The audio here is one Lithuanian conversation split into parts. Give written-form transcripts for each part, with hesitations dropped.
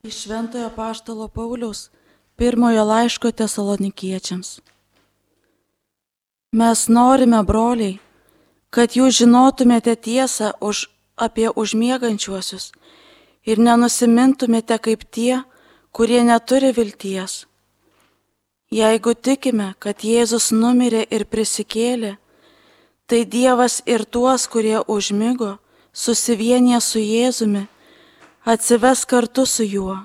Iš Šventojo Apaštalo Pauliaus pirmojo laiško Tesalonikiečiams. Mes norime, broliai, kad jūs žinotumėte tiesą apie užmiegančiuosius ir nenusimintumėte kaip tie, kurie neturi vilties. Jeigu tikime, kad Jėzus numirė ir prisikėlė, tai Dievas ir tuos, kurie užmigo, susivienė su Jėzumi, atsives kartu su juo.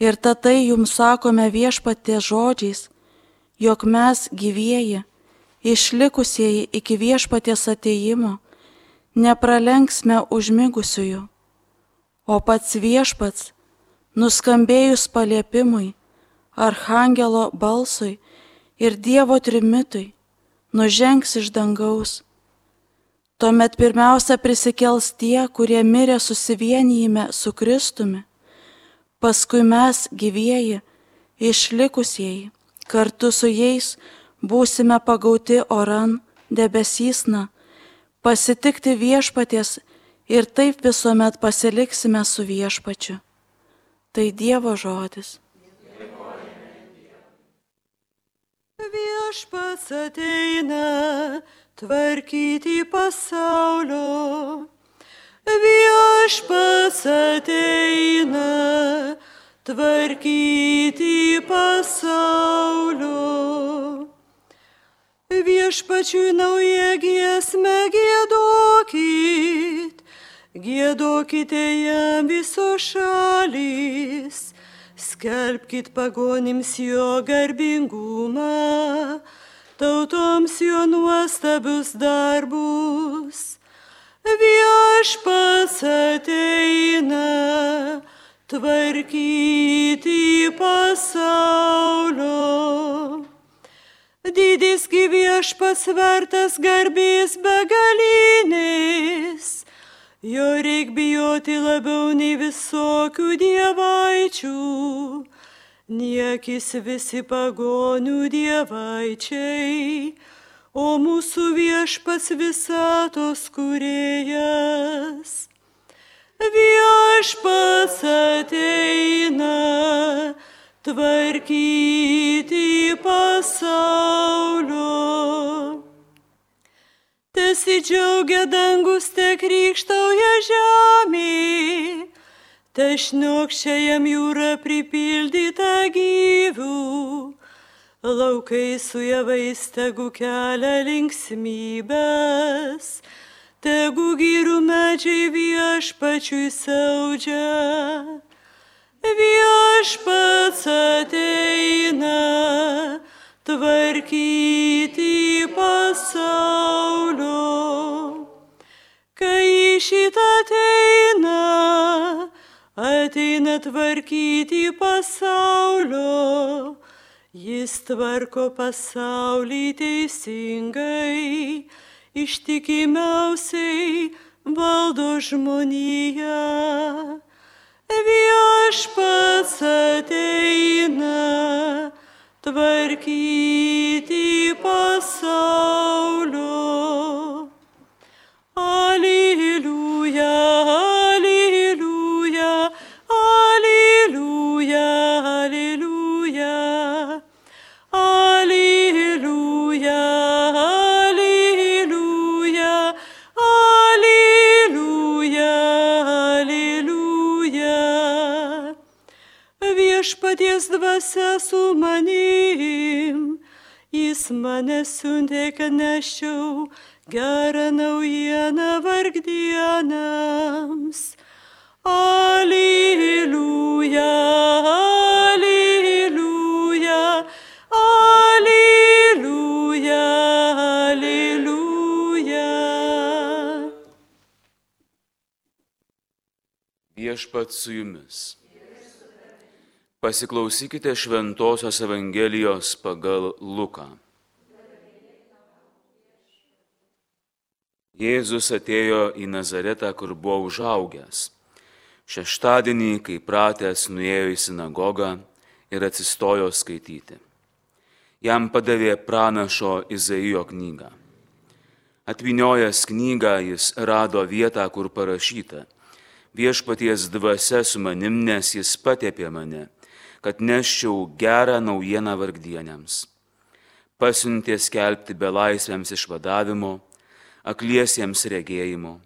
Ir tai jums sakome Viešpaties žodžiais, jog mes gyvieji, išlikusieji iki Viešpaties atėjimo, nepralenksime užmigusiųjų, o pats Viešpats, nuskambėjus paliepimui, archangelo balsui ir Dievo trimitui, nužengs iš dangaus. Tuomet pirmiausia prisikels tie, kurie mirė susivienijime su Kristumi, paskui mes gyvieji, išlikusieji, kartu su jais būsime pagauti oran debesysna, pasitikti Viešpaties ir taip visuomet pasiliksime su Viešpačiu. Tai Dievo žodis. Viešpats ateina tvarkyti pasaulio. Viešpats ateina tvarkyti pasaulio. Viešpačiui naują giesmę giedokit, giedokite jam visos šalys. Skelbkit pagonims jo garbingumą, tautoms jo nuostabius darbus. Viešpats ateina tvarkyti pasaulio. Didisgi Viešpats vertas garbės begalinės, jo reik bijoti labiau nei visokių dievaičių, niekis visi pagonių dievaičiai, o mūsų Viešpats visatos kūrėjas. Viešpats ateina tvarkyti pasaulio. Tesidžiaugia dangus, te krykštauja žemė, te šniokščia jam jūra pripildyta gyvių, laukai su javais tegu kelia linksmybes, tegu girių medžiai Viešpačiui siaudžia. Viešpats ateina tvarkyti pasaulio. Kai šitą ateina tvarkyti pasaulio, jis tvarko pasaulį teisingai, ištikimiausiai valdo žmoniją. Viešpats ateina tvarkyti pasaulio. Aleliuja, aleliuja, aleliuja, aleliuja, aleliuja, aleliuja, aleliuja, aleliuja. Viešpaties dvasia su manim, jis mane siuntė, kad neščiau gerą naujieną vargdienams. Aleliuja, aleliuja, aleliuja, aleliuja. Viešpats su jumis. Pasiklausykite Šventosios Evangelijos pagal Luką. Jėzus atėjo į Nazaretą, kur buvo užaugęs. Šeštadienį, kai pratęs, nuėjo į sinagogą ir atsistojo skaityti. Jam padavė pranašo Izaijo knygą. Atvyniojęs knygą, jis rado vietą, kur parašyta: viešpaties dvasia su manim, nes jis patepė mane, kad neščiau gerą naujieną vargdieniams. Pasiuntė skelbti belaisviams išvadavimo, akliesiems regėjimo.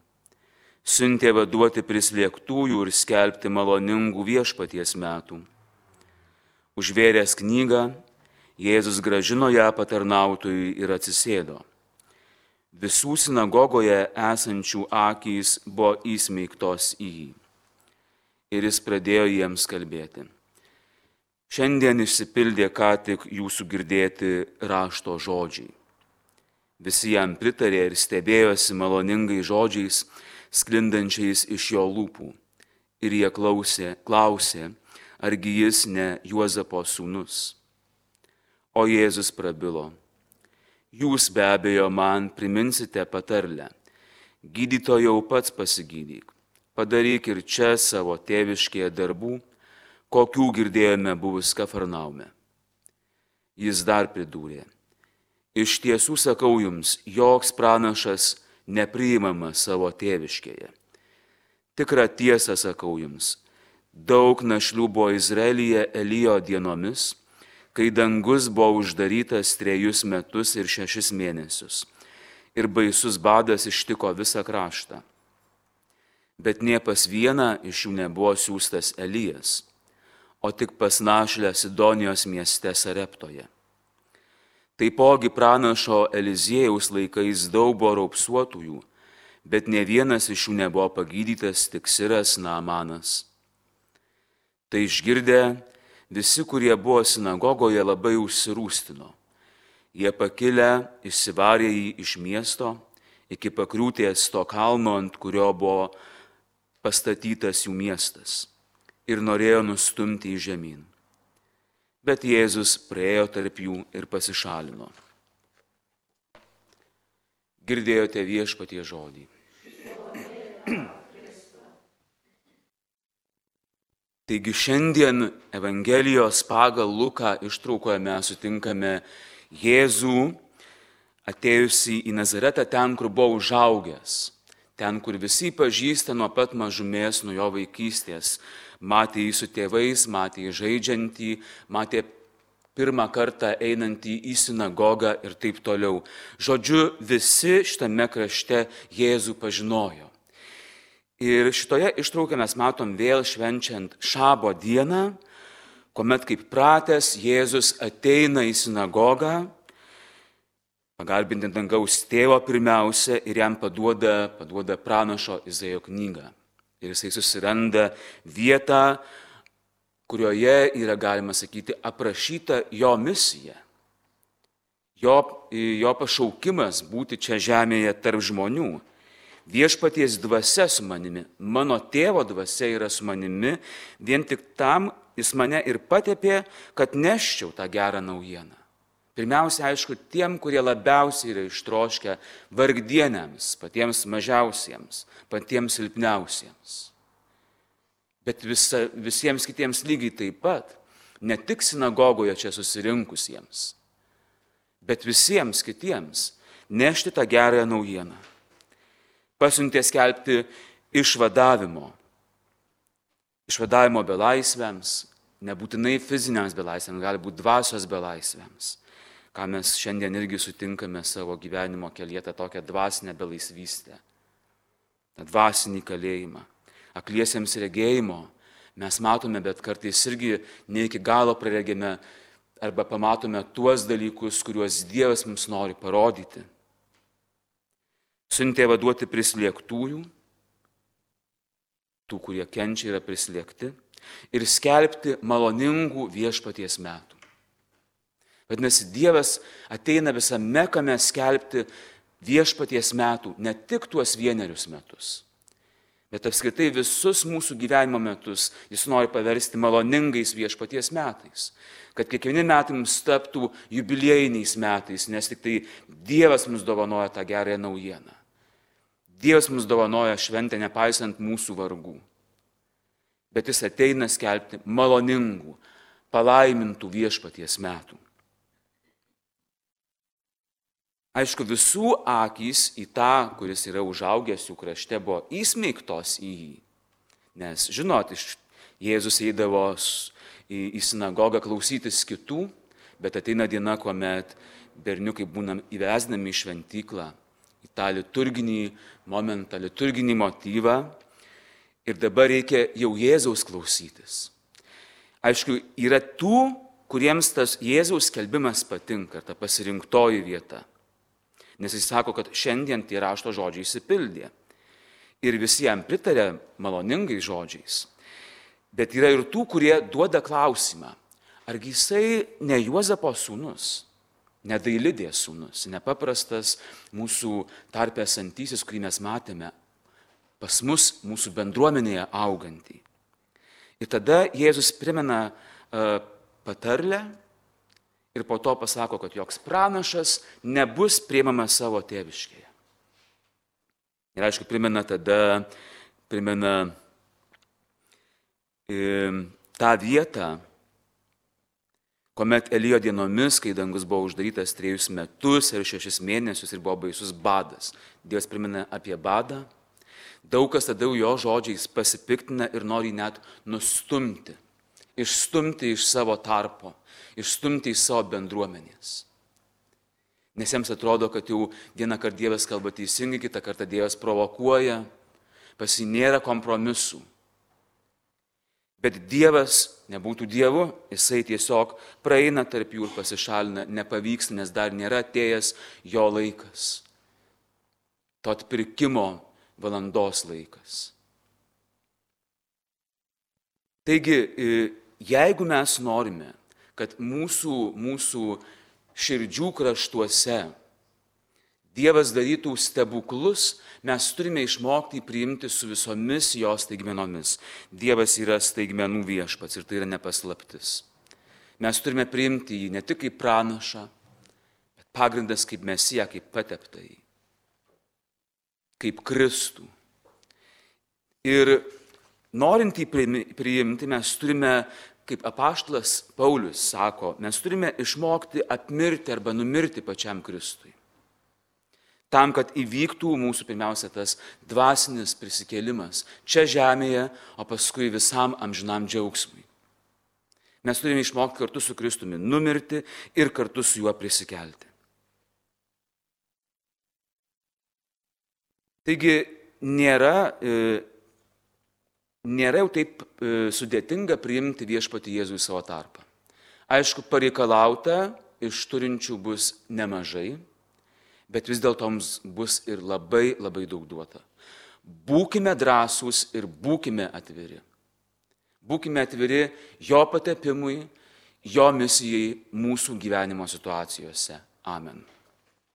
Siuntė vaduoti prislėgtųjų ir skelbti maloningų viešpaties metų. Užvėręs knygą, Jėzus grąžino ją patarnautojui ir atsisėdo. Visų sinagogoje esančių akys buvo įsmeigtos į jį. Ir jis pradėjo jiems kalbėti. Šiandien išsipildė ką tik jūsų girdėti rašto žodžiai. Visi jam pritarė ir stebėjosi maloningai žodžiais, sklindančiais iš jo lūpų. Ir jie klausė, argi jis ne Juozapo sūnus. O Jėzus prabilo. Jūs be abejo man priminsite patarlę. Gydytojau pats pasigydyk. Padaryk ir čia savo tėviškėje darbų, kokių girdėjome buvus Kafarnaume. Jis dar pridūrė. Iš tiesų sakau jums, joks pranašas nepriimamas savo tėviškėje. Tikrą tiesą sakau jums, daug našlių buvo Izraelyje Elijo dienomis, kai dangus buvo uždarytas 3 metus ir 6 mėnesius, ir baisus badas ištiko visą kraštą. Bet nė pas vieną iš jų nebuvo siųstas Elijas, o tik pas našlę Sidonijos mieste Sareptoje. Taipogi pranašo Eliziejaus laikais daug buvo raupsuotųjų, bet ne vienas iš jų nebuvo pagydytas, tik Siras Naamanas. Tai išgirdę, visi, kurie buvo sinagogoje, labai užsirūstino. Jie pakilę išsivarė jį iš miesto iki pakriūtės to kalno, ant kurio buvo pastatytas jų miestas, ir norėjo nustumti į žemyn. Bet Jėzus praėjo tarp jų ir pasišalino. Girdėjote viešpaties žodį. Taigi šiandien Evangelijos pagal Luką ištraukoje mes sutinkame Jėzų atėjusi į Nazaretą ten, kur buvo užaugęs, ten, kur visi pažįsta nuo pat mažumės, nuo jo vaikystės. Matė jį su tėvais, matė jį žaidžiantį, matė pirmą kartą einantį į sinagogą ir taip toliau. Žodžiu, visi šitame krašte Jėzų pažinojo. Ir šitoje ištraukoje mes matom vėl švenčiant Šabo dieną, kuomet kaip pratęs Jėzus ateina į sinagogą, pagarbinti dangaus tėvo pirmiausia ir jam paduoda pranašo Izaijo knygą. Ir jisai susiranda vietą, kurioje yra, galima sakyti, aprašyta jo misija. Jo pašaukimas būti čia žemėje tarp žmonių. Viešpaties dvasia su manimi, mano tėvo dvasia yra su manimi, vien tik tam jis mane ir patepė, kad neščiau tą gerą naujieną. Pirmiausia, aišku, tiem, kurie labiausiai yra ištroškę vargdieniams, patiems mažiausiems, patiems silpniausiems. Bet visiems kitiems lygiai taip pat, ne tik sinagogoje čia susirinkusiems, bet visiems kitiems nešti tą gerąją naujieną. Pasiuntė skelbti išvadavimo belaisviams, nebūtinai fiziniams belaisviams, gali būti dvasios belaisviams, ką mes šiandien irgi sutinkame savo gyvenimo kelyje, tą tokią dvasinę belaisvystę, tą dvasinį kalėjimą. Akliesiems regėjimo mes matome, bet kartais irgi ne iki galo praregėme arba pamatome tuos dalykus, kuriuos Dievas mums nori parodyti. Siuntė vaduoti prislėgtųjų, tų, kurie kenčia, yra prislėgti, ir skelbti maloningų viešpaties metų. Vadinasi, Dievas ateina visame kame skelbti viešpaties metų, ne tik tuos 1 metus, bet apskritai visus mūsų gyvenimo metus jis nori paversti maloningais viešpaties metais, kad kiekvieni metai mums taptų jubiliejiniais metais, nes tik tai Dievas mums dovanoja tą gerąją naujieną. Dievas mums dovanoja šventę nepaisant mūsų vargų, bet jis ateina skelbti maloningų, palaimintų viešpaties metų. Aišku, visų akys į tą, kuris yra užaugęs jų krašte, buvo įsmeigtos į jį. Nes, žinot, Jėzus eidavo į sinagogą klausytis kitų, bet ateina diena, kuomet berniukai būna įvesdinami į šventyklą, į tą liturginį momentą, liturginį motyvą. Ir dabar reikia jau Jėzaus klausytis. Aišku, yra tų, kuriems tas Jėzaus skelbimas patinka, ta pasirinktoji vieta. Nes jis sako, kad šiandien tie rašto žodžiai išsipildė. Ir visi jam pritarė maloningais žodžiais. Bet yra ir tų, kurie duoda klausimą, argi jisai ne Juozapo sūnus, ne Dailidės sūnus, nepaprastas mūsų tarpe esantysis, kurį mes matėme, pas mus, mūsų bendruomenėje augantį. Ir tada Jėzus primena patarlę ir po to pasako, kad joks pranašas nebus priimamas savo tėviškėje. Ir aišku, primena tą vietą, kuomet Elijo dienomis, kai dangus buvo uždarytas 3 metus ir 6 mėnesius ir buvo baisus badas. Dievas primena apie badą. Daug kas tada jo žodžiais pasipiktina ir nori net nustumti, išstumti iš savo tarpo, išstumti iš savo bendruomenės. Nes jiems atrodo, kad jau vieną kartą Dievas kalba teisingai, kitą kartą Dievas provokuoja, pas jį nėra kompromisų. Bet Dievas nebūtų Dievu, jisai tiesiog praeina tarp jų ir pasišalina, nepavyksta, nes dar nėra atėjęs jo laikas. To atpirkimo valandos laikas. Taigi, jeigu mes norime, kad mūsų širdžių kraštuose Dievas darytų stebuklus, mes turime išmokti priimti su visomis jo staigmenomis. Dievas yra staigmenų viešpats ir tai yra nepaslaptis. Mes turime priimti jį ne tik kaip pranašą, bet pagrindas kaip Mesiją, kaip pateptąjį, kaip Kristų. Ir norint jį priimti, mes turime, kaip apaštalas Paulius sako, mes turime išmokti apmirti arba numirti pačiam Kristui. Tam, kad įvyktų mūsų pirmiausia tas dvasinis prisikėlimas čia žemėje, o paskui visam amžinam džiaugsmui. Mes turime išmokti kartu su Kristumi numirti ir kartu su juo prisikelti. Taigi nėra jau taip sudėtinga priimti viešpatį Jėzų į savo tarpą. Aišku, pareikalauta iš turinčių bus nemažai, bet vis dėlto mums bus ir labai, labai daug duota. Būkime drąsūs ir būkime atviri. Būkime atviri jo patepimui, jo misijai mūsų gyvenimo situacijose. Amen.